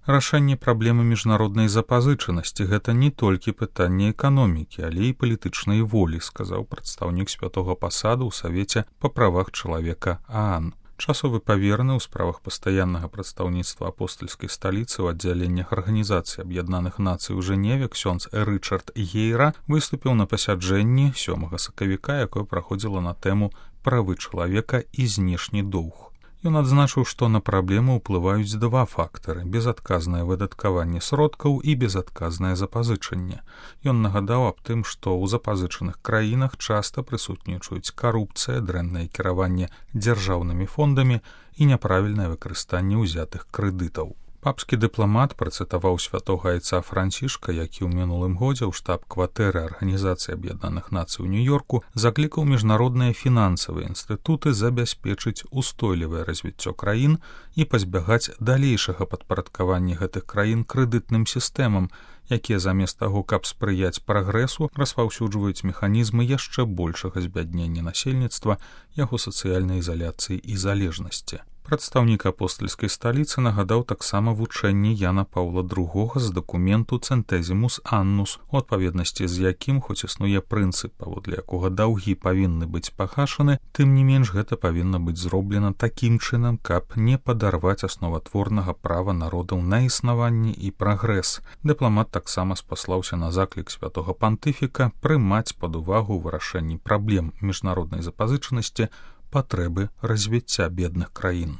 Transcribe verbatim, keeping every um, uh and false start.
Рашэнне праблемы міжнароднай запазычанасці – гэта не толькі пытанне эканомікі, але і палітычнай волі, сказаў прадстаўнік святога пасаду ў Савеце па правах чалавека ААН. Часовы павераны ў справах пастаяннага прадстаўніцтва апостальскай сталіцы ў аддзяленнях Арганізацыі Аб'яднаных Нацый у Жэневе ксёндз Рычард Гейра выступіў на пасяджэнні сёмага сакавіка, якое праходзіла на тэму «Правы чалавека і знешні доўг». Ён адзначыў, што на праблему ўплываюць два фактары – безадказнае выдаткаванне сродкаў і безадказнае запазычанне. Ён нагадаў аб тым, што ў запазычаных краінах часта прысутнічаюць карупцыя, дрэннае кіраванне дзяржаўнымі фондамі і няправільнае выкарыстанне ўзятых крэдытаў. Папскі дыпламат працытаваў святога айца Францішка, які ў мінулым годзе ў штаб-кватэры Арганізацыі Аб'яднаных Нацый у Нью-Йорку заклікаў міжнародныя фінансавыя інстытуты забяспечыць устойлівае развіццё краін і пазбягаць далейшага падпарадкавання гэтых краін крэдытным сістэмам, якія замест таго, каб спрыяць прагрэсу, распаўсюджваюць механізмы яшчэ большага збяднення насельніцтва, яго сацыяльнай ізаляцыі і залежнасці. Прадстаўнік апостальскай сталіцы нагадаў таксама вучэнні Яна Паўла другога з дакументу «Цэнтэзімус Аннус», у адпаведнасці з якім, хоць існуе прынцып, паводле якога даўгі павінны быць пагашаны, тым не менш гэта павінна быць зроблена такім чынам, каб не падарваць асноватворнага права народаў на існаванне і прагрэс. Дыпламат таксама спаслаўся на заклік святога пантыфіка прымаць пад увагу ў вырашэнні праблем міжнароднай запазычанасці патрэбы развіцця бедных краін.